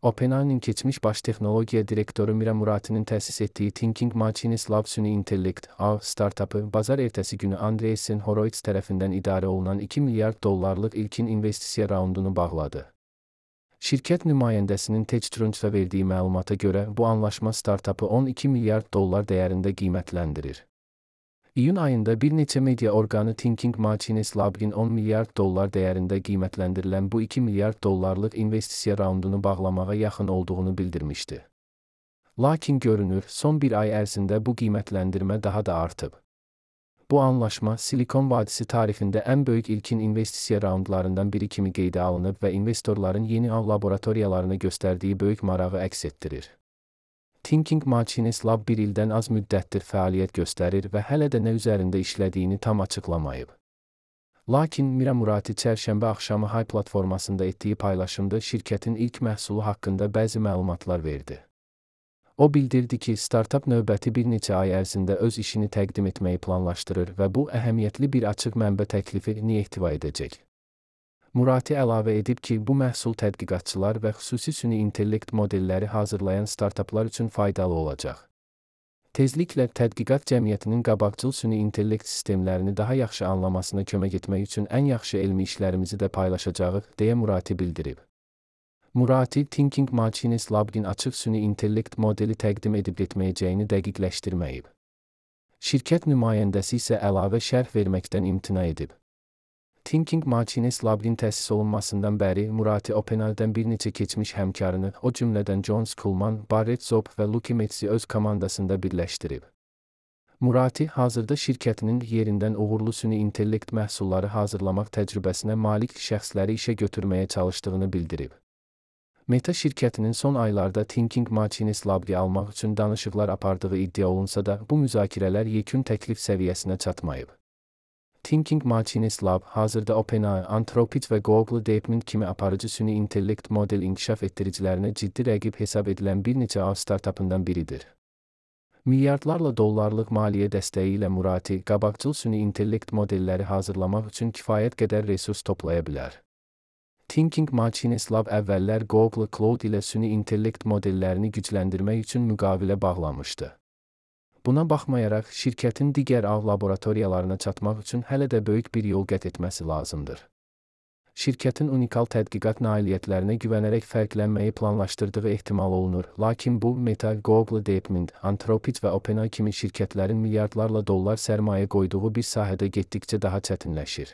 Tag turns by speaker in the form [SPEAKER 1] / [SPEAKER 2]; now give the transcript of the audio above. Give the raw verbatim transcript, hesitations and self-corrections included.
[SPEAKER 1] OpenAI'nin keçmiş baş texnologiya direktoru Mira Murati'nin təsis etdiyi Thinking Machines Lab süni intellekt A startapı bazar ertəsi günü Andreessen Horowitz tərəfindən idarə olunan iki milyard dollarlıq ilkin investisiya raundunu bağladı. Şirkət nümayəndəsinin TechCrunch'a verdiyi məlumata görə bu anlaşma startapı on iki milyard dollar dəyərində qiymətləndirir. İyun ayında bir neçə media orqanı Thinking Machines Lab'in on milyard dollar dəyərində qiymətləndirilən bu iki milyard dollarlıq investisiya raundunu bağlamağa yaxın olduğunu bildirmişdi. Lakin görünür, son bir ay ərzində bu qiymətləndirmə daha da artıb. Bu anlaşma Silikon Vadisi tarixində ən böyük ilkin investisiya raundlarından biri kimi qeydə alınıb və investorların yeni ağ laboratoriyalarına göstərdiyi böyük marağı əks etdirir. Thinking Machines Lab bir ildən az müddətdir fəaliyyət göstərir və hələ də nə üzərində işlədiyini tam açıqlamayıb. Lakin Mira Murati çərşənbə axşamı Hay platformasında etdiyi paylaşımda şirkətin ilk məhsulu haqqında bəzi məlumatlar verdi. O bildirdi ki, startap növbəti bir neçə ay ərzində öz işini təqdim etməyi planlaşdırır və bu əhəmiyyətli bir açıq mənbə təklifini ehtiva edəcək. Murati əlavə edib ki, bu məhsul tədqiqatçılar və xüsusi süni intellekt modelləri hazırlayan startaplar üçün faydalı olacaq. Tezliklə tədqiqat cəmiyyətinin qabaqcıl süni intellekt sistemlərini daha yaxşı anlamasına kömək etmək üçün ən yaxşı elmi işlərimizi də paylaşacağıq, deyə Murati bildirib. Murati, Thinking Machines Lab'in açıq süni intellekt modeli təqdim edib etməyəcəyini dəqiqləşdirməyib. Şirkət nümayəndəsi isə əlavə şərh verməkdən imtina edib. Thinking Machines Lab'in təsis olunmasından bəri Murati OpenAI'dən bir neçə keçmiş həmkarını, o cümlədən John Scullman, Barrett Zob və Lucky Metz'i öz komandasında birləşdirib. Murati, hazırda şirkətinin yerindən uğurlu süni intellekt məhsulları hazırlamaq təcrübəsinə malik şəxsləri işə götürməyə çalışdığını bildirib. Meta şirkətinin son aylarda Thinking Machines Lab'ı almaq üçün danışıqlar apardığı iddia olunsa da, bu müzakirələr yekun təklif səviyyəsinə çatmayıb. Thinking Machines Lab hazırda OpenAI, Anthropic və Google DeepMind kimi aparıcı süni intellekt model inkişaf etdiricilərinə ciddi rəqib hesab edilən bir neçə ağ startapından biridir. Milyardlarla dollarlıq maliyyə dəstəyi ilə Murati, qabaqcıl süni intellekt modelləri hazırlamaq üçün kifayət qədər resurs toplaya bilər. Thinking Machines Lab əvvəllər Google Cloud ilə süni intellekt modellərini gücləndirmək üçün müqavilə bağlamışdı. Buna baxmayaraq, şirkətin digər ağ laboratoriyalarına çatmaq üçün hələ də böyük bir yol qət etməsi lazımdır. Şirkətin unikal tədqiqat nailiyyətlərinə güvənərək fərqlənməyi planlaşdırdığı ehtimal olunur, lakin bu, Meta, Google DeepMind, Anthropic və OpenAI kimi şirkətlərin milyardlarla dollar sərmayə qoyduğu bir sahədə getdikcə daha çətinləşir.